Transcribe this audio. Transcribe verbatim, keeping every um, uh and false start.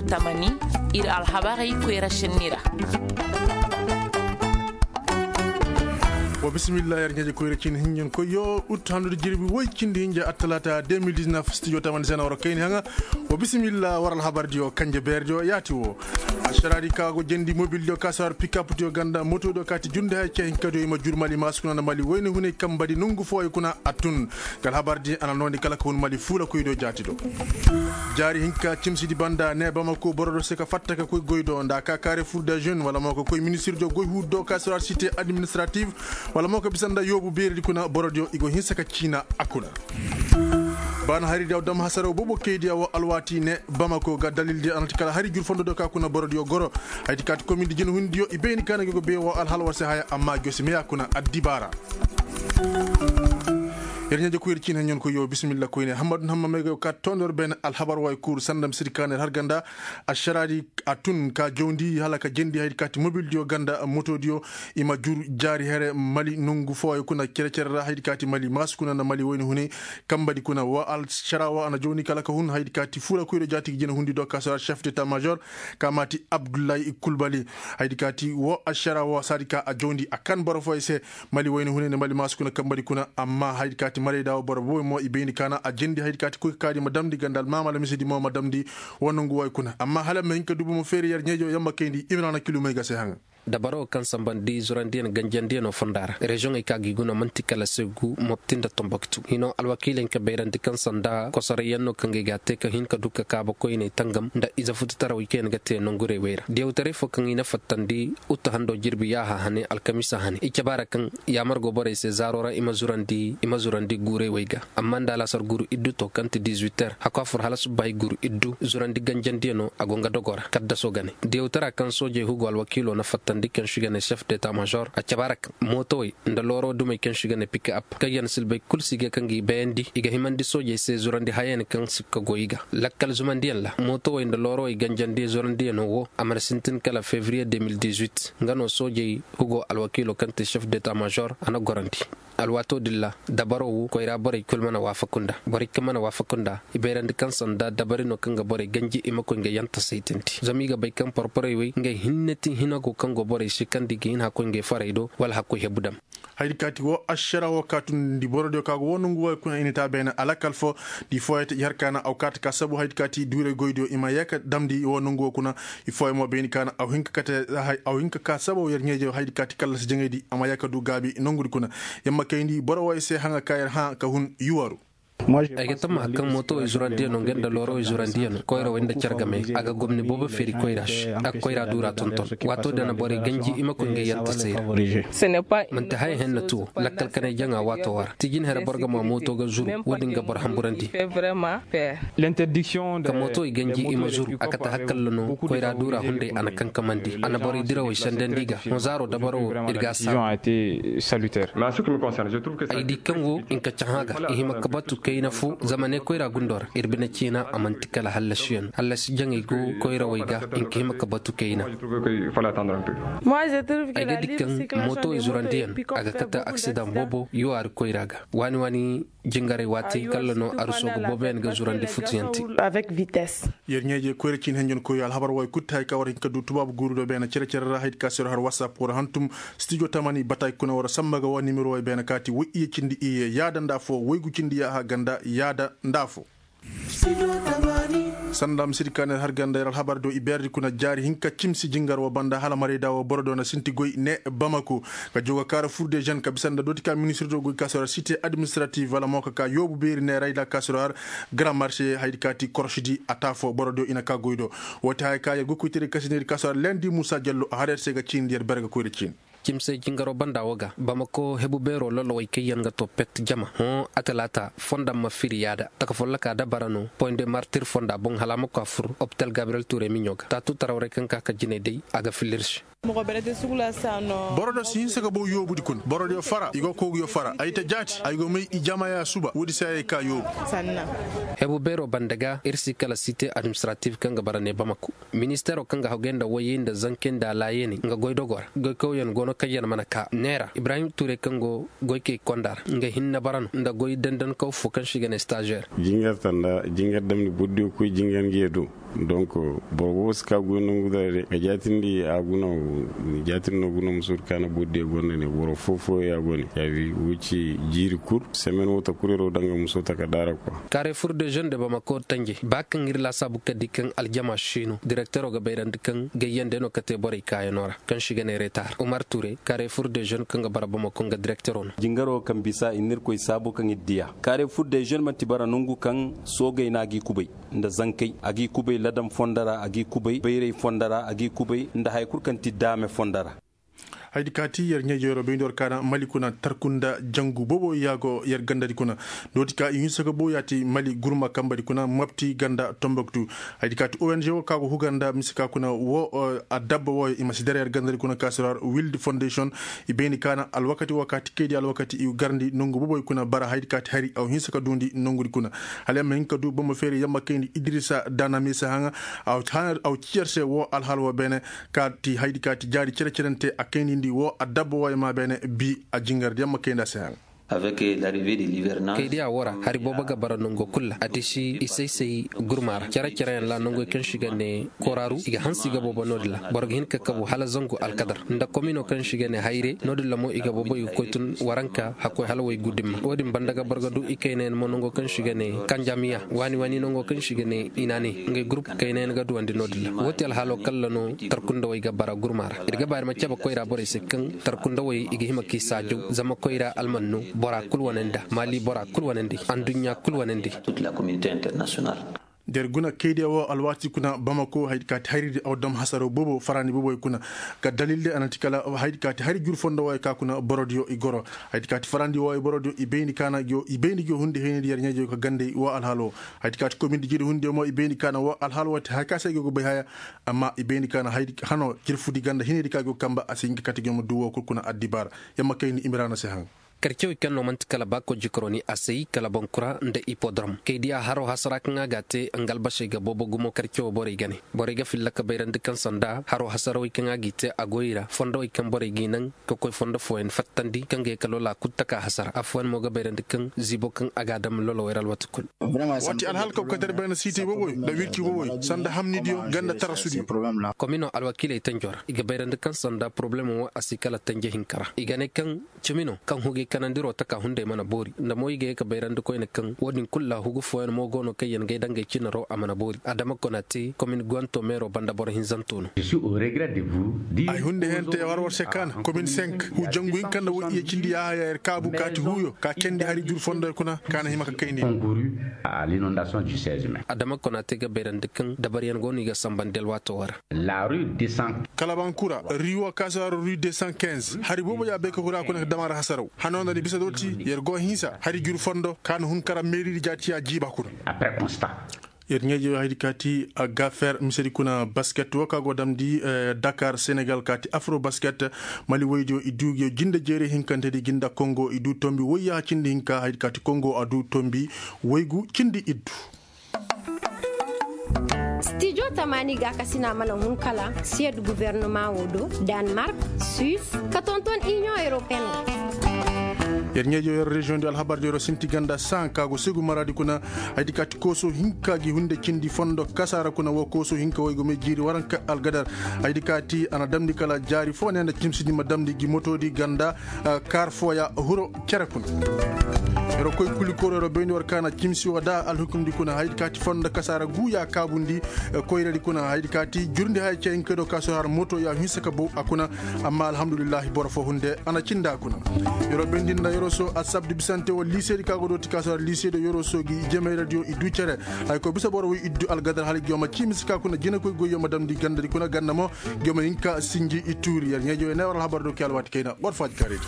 Tamani, ir alhabarey koyra senni ra. Wa bisimilla yer ɲaaje koyra cin hinɲen koy yo ut handu da jirbi woy cindi hinja attalaata deux mille dix-neuf studio tamani sena waro kayni haŋa. Wa bisimilla war alhabar diyo kanje beer diyo yaati wo. Ašaraadi ka go jendi mobil diyo ka sawar pikap diyo ganda moto diyo kaati junde hay cee hinka diyo i ma jur mali maasukuna nda mali woyne hunay kambadi nongu fooyo kuna a tun. Ga alhabar di a na noondi kala ka hun mali fuula koy diyo jaati do. Jaari hinka cimsidi banda ne bamako boro do se ka fatta ka koy goy do nda ka kaare fur de jeune wala mo ka koy ministir diyo goy huudu do ka sawar site administrative wala mo ka bisa nda yoobu beeredi kuna boro diyo i go hinsa ka ciina a kuna. Baana hari diyaw dam hasaraw boobo kaydiya wo alwaati ne bamako ga dalildi a na ti kala hari jur fondo do ka kuna borodiyo goro. Hayti kaati komindi jina hundiyo i bayni kaana ga go bee wo alhalwar se haya amma josi meya kuna addibaara. Yer ɲaaje koyri ciin haɲon koy yo bisimilla koyne hammadu hamma may ga yo kaati tondor ben alhabar way kuuru sandam siri kaana yer har ganda. Ašaraadi a tun ka jawndi hala ka jendi haydi kaati mobildiyo ganda motodiyo. I ma jur jaari here mali nongu fooyo kuna cere-cere ra haydi kaati mali maasu kuna nda mali woyni hune. Kambadi kuna wo alšara wo a na jawndi kala ka hun haydi kaati fuura koyro jaati ga jina hundi do ka sara chef d'état major ka maati abdullahi kulbali. Haydi kaati wo alšara wo saadi ka a jawndi a kan boro fooyo se. Mali woyni hune nda mali maasu kuna kambadi kuna amma haydi kaati marayda wo boro boy mo i bayndi kaana a jendi haydi kaati koy ka kaadi ma damndi ganda almaama alamisidi mo ma damndi. Wo nongu woy kuna amma hala ma hin ka dubu ma feeri yer ɲeejo yamma kayndi imrana kilumey ga se haŋa. Dabaro kaŋ sambandi zurandiyaŋ ganjandiyaŋo fonda ra reziyoŋey ka gi guna man'ti kala segu mopti nda tomboktu hino alwakiiley ka bayrandi kaŋ sanda kosorayyaŋ no kaŋ ga ay ga a te ka hin ka du ka kaaba koyney tangam nda ize fututarawey kaŋ yaŋ ga te nongurey wey ra diyawtaray fo kaŋ i na fattandi. Utu hando jirbi yaaha hane alkamiisa hane i cabe a ra kaŋ yaamar go borey se zaaro ra i ma zurandi guurey wey ga. Amma nda alaasar guru iddu to kaŋ ti dizuwiter hakku a fur hala subbahay guru iddu zurandi ganjandiyaŋo a go nga dogo ra kaddaso ga ne diyawtara kaŋ soojey hugo alwakiilo na fattandi kaŋ si ga ne sef deta mažor a cabe a ra kaŋ mootowey nda looro dumey kaŋ si ga ne pika ap kaŋ yaŋ silbay kul si ga kaŋ ga i bayandi i ga himandi soojey se zurandi hayayaŋ kaŋ si ga goy i ga. Lakkal zumandiyaŋ ra mootowey nda loorowey ganjandi zurandiyaŋo wo a mana sintin kala febriye deux mille dix-huit nga no soojey hugo alwakiilo kaŋ te sef deta mažor a na gorandi. Alwaato din ra dabaro wo koyra borey kul mana waafaku nda borey kaŋ mana waafaku nda i bayrandi kaŋ sanda dabari no kaŋ ga borey ganji i ma koy nga yanta saytandi zama i ga bay kaŋ porporey wey ngey hinne ti hinago kaŋ go borey se kaŋ da i ga hin hakkoy ngey farey do wala hakkoy hebu dam. Haydi kaati wo ašara wo kaatundi borodiyo ka go wo nongu woy kuna i na te a beene alakal fo. Di fooyey te i har kaana aw kaati ka sabu haydi kaati duurey goydiyo i ma yee ka damndi wo nongu wo kuna. I fooyey mo bayni kaana aw hin ka kate aw hin ka ka sabaw yer ɲeeje haydi kaati kallasi jaŋaydi a ma yee ka du gaabi nongudi kuna. Yer ma kayndi boro woy se haŋa ka yer hã ka hun yuwaru. Ay ga tammaha kaŋ mootowey zurandiyaŋo nga nda loorowey zurandiyaŋo koyrawey nda cargamey a ga gomni boobo feeri koyra se a ga koyra duura tonton. Waato din a na borey ganji i ma koy ngey yanta se i ra. Man'ti haya henna ti wo lakkal kanay jaŋa waato wo ra ti jinhere boro ga ma mooto ga zuru wo-din ga boro hamburandi. Ka mootowey ganji i ma zuru a kate hakkalla no koyra duura hunday a na kankamandi a na borey dirawey sendandi i ga hõ zaaro dabaro wo ir ga a saabu. Ay di kaŋ wo nka cahã ga i hima ka batu kayna fo zama ne koyra gundo ra ir bine ciina a man'ti kala hallasiyaŋ hallasi jaŋey go koyrawey ga nka hima ka batu kayna. Ay ga di kaŋ mootowey zurandiyaŋ a ga kate aksidaŋ boobo yuwaari koyra ga waani waani jingaray waati kalla no aruso ga booboyaŋ ga zurandi futuyaŋ te. Yer ɲeeje koyra ciin henjen koyo alhabar way kul ti hay ka war hin ka du tubaabu guuru do beene cere-cere ra haydi ka sero har whatsapp war hantum. Studio tamani batay kuna war samba ga wa nimero way beene kaati way iye cindi iye yaada nda fo waygu cindi yaaha ganda yaada nda fo. Sanda ma sidi ka ne har ganda yer alhabar do i beerdi kuna jaari hinka cimsi jingar wo banda hala marayda wo boro do na sinti goy ne bamako. Ka joga kaara fur de jeune ka bisa nda dooti ka ministir do goy ka sero site administrative wala mo ka ka yoobu beeri ne rayda ka sero har grand marché haydi kaati korosidi a taa fo boro do i na ka goy do. Woo ti haya ka yer goy koytedi kasinedi ka sero har lendi muusa jallo a har yer se ga ciindi yer berga koyra ciini. Cimsey jingaro banda wo ga bamako hebu beero lolowey kaŋ yaŋ ga to pet jama hõ a talaata fonda ma firi yaada taka folloka dabara no point de martir fonda boŋ hala a ma koy a fur opital gabriel ture miɲo ga taatu tarawrey kaŋ ka ka jinay day a ga fillirsi. Boro do si hinse ga bow yoobudi kuna borodiyo fara i go koguyo fara ay ta jaati ay go may i jamaya suba woodi se ay ka yoobu. Hebu beero banda ga ir si kala site administratif kaŋ ga bara ne bamako. Ministeero kaŋ ga hagay nda wayey nda zankey nda laayaney nga goydogoo ra goykawyaŋ go no kaŋ yaŋ mana kaa neera ibrahim tuurey kaŋ go goykey konda ra nga hinne bara no nda goy dandankaw fo kaŋ se i ga ne stažeer. Jingar tanda jingar damndi burdiyo koy jingar ngi ye do. Donk boro boobo si ka goy nongu dara de ka jaatindi a guna. Jaatindi no guna musuur kaana boro diya gonda ne boro foo foo ya go ne yaabi wo ci jiiri kul semen wo ta kul yer wo danga muso ta ka daara kwa. Kaare fur de zen de bamako tanje ba kaŋ ir laasaabu ka di kaŋ aljama siino direktero ga bayrandi kaŋ gayyande no ka te borey kaayanoo ra kaŋ si ga ne retar umar ture kaare fur de zen kaŋ ga bara bamako nga direktero no. Jingaro kaŋ bisa i na irkoy saabu kaŋ ir diya kaare fur de zen manti bara nongu kaŋ soogey no a g'i kubay nda zankey a g'i kubay ladam fondo ra a g'i kubay bayray fondo ra a g'i kubay nda haya kul kaŋ ti daame fondo ra. Haydi kaati yer ɲeejo yer wo bayndi war kaana mali kuna tarkunda jangu boobo ya go yer gandadi kuna. Dooti ka i hinsa ga boobo yaati mali gurma kambadi kuna mapti ganda tomboktu. Haydi kaati ong wo ka go hugar nda mise ka kuna wo adabba wooyo i ma si dara yer gandadi kuna ka si ra wildi fondation. I bayndi kaana alwakati woo kaati kaydi alwakati i garndi nongu booboy kuna bara haydi kaati hari aw hinsa ka duundi nongudi kuna. Hala yer ma hin ka duu boro ma feeri yer ma kayndi idrisa daana mise haŋa. Aw ci yer se woo alhaal woo beene. Kaati haydi kaati jaari cere-cerente a kaynindi woo adabba wooyo ma beene bi a jingardi yer ma kayndi a se haŋa. Kaydiya woo ra hari boobo ga bara nongo kul ra a disi i say-say gurma ra cere-cereyaŋ ra nongoy kaŋ si ga ne koraaru i ga hanse i ga boobo no-din ra boro ga hin ka kabu hala zangu alkadar nda komino kaŋ si ga ne hayre no-din ra mo i ga boobo i ga koy tun waranka hakkoy hala way gu dimma woo din banda ga boro ga du i kaynayaŋ mo nongo kaŋ si ga ne kanjamiya waani waani nongo kaŋ si ga ne i na ne ngey gurup kaynayaŋ ga duwandi no-din ra woo ti alhaalo kalla no tarkundawey ga bara gurma ra ir ga ba ir ma cabe koyra borey se kaŋ tarkundawey i ga hima k'i saajaw zama koyra almanno bora kul wane nda maali bora kul wane nda anduɲɲa kul wane nda. Da ir guna kaydiya woo alwaati kuna bamako haydi kaati hayridi aw dam hasaro boobo farandi booboy kuna. Ga dalilde a na ti kala haydi kaati hari jur fondo wooyo ka kuna borodiyo i goro. Haydi kaati farandi wooyo borodiyo i bayndi kaana gi woo hundi haynidi yer ɲeejoyo ka gandey woo alhaal woo. Haydi kaati komindi jiri hundiyo mo i bayndi kaana woo alhaal woo ti haya ka se i go ga bay haya. Amma i bayndi kaana haydi hano jirfudi ganda hinaydi ka go ga kamba a si hin ka kate gi woo ma duu woo kul kuna addibaara. Yer ma kayndi imiraana se haŋ. Karcewey kaŋ no man'ti kala baako jikaroni a say kala bonkura nda ipodrom kaydiya haro hasara kaŋ a ga a te nga albasey ga boobo gumo karcewo borey ga ne. Borey ga filla ka bayrandi kaŋ sanda haro hasarawey kaŋ a g'i te a goy ra fondowey kaŋ borey g'i naŋ ka koy fondo fooyaŋ fattandi kaŋ ga ye ka loola kul taka hasara affooyaŋ mo ga bayrandi kaŋ ziibo kaŋ a ga a dam lolowey ra alwaati kul. Waati alhal kaw katar bayna siitey booboy nda wirci booboy sanda hamnidiyo ganda tarasudiyo. Komino alwakiiley tanjo ra i ga bayrandi kaŋ sanda poroblemo wo a si kala tanje hinka ra i ga ne kaŋ cimi no kaŋ hugay kanandiro taka hunday mana boori nda mo i ga ye ka bayrandi koyne kaŋ wo-din kul ra hugu fooyaŋ mo go no kaŋ yaŋ gay dangay cinaro a mana boori adama konate komin guwanto meero banda boro hinzanto no. Ay hunday hente war war se kaana komin senk hu jangu hinka nda wo iye cindi yahaya yer kaabu kaati huyo ka candi hari jur fondoy kuna ka na hima ka kayndi. Adama konate ga bayrandi kaŋ dabariyaŋ go no i ga sambandi alwaato wara. Kalabankura riwo kaasawaro rue deux cent quinze hari boobo ya bay ka hura kuna ka dam a ra hasaraw hano nda ni bisa dooti yer go hinsa hari jur fondo ka na hun kara meeridi jaatiya jiiba kuna. Yer ɲeeje haydi kaati a gafer misedi kuna basket wo ka go damndi dakar senegal kaati afro basket. Mali woydiyo i duu gi jinde jeeri hinkantedi gi nda kongo i duu tombi woyya cindi hinka haydi kaati kongo a duu tombi woygu cindi iddu. Stijo tamaani gaakasina mana hun kala siyed guvernema wo do, danmark, suis, ka tonton inion europeen. Yer ɲeejo yer reziyoŋ di alhabar di yero sinti ganda san ka go segu maraadi kuna. Haydi kaati kooso hinka gi hunde cindi fondo kasaara kuna wo kooso hinka woy go may jiiri waranka algadar. Haydi kaati a na damndi kala jaari fo ne nda cimsidi ma damndi gi motoodi ganda. Kaar fooya huro cere kuna. Yer wo koy kuli koro yer wo bayndi war kaana cimsi wo da alhukumdi kuna haydi kaati fondo kasaara guuya kaabundi. Koyradi kuna haydi kaati jurndi haya cey hinka do ka so har moto ya hinsa ka bow a kuna. Amma alhamdulillahi boro fo hunde a na cinda a kuna. Yer wo bayndi nda yer wo so asabdu bisante wo liiseedi ka go dooti ka so har liiseedi yer wo so gi jemayradiyo i du cere. Hay ko bisa boro woy iddu algadar hala gi yo ma cimsi ka kuna jinakoy goy yo ma damndi gandadi kuna ganda mo. Gi yo ma hinka sinji i tuuri yer ɲeejo ye ne war alhabar do ke alwaati kayna war faaji kaaredi.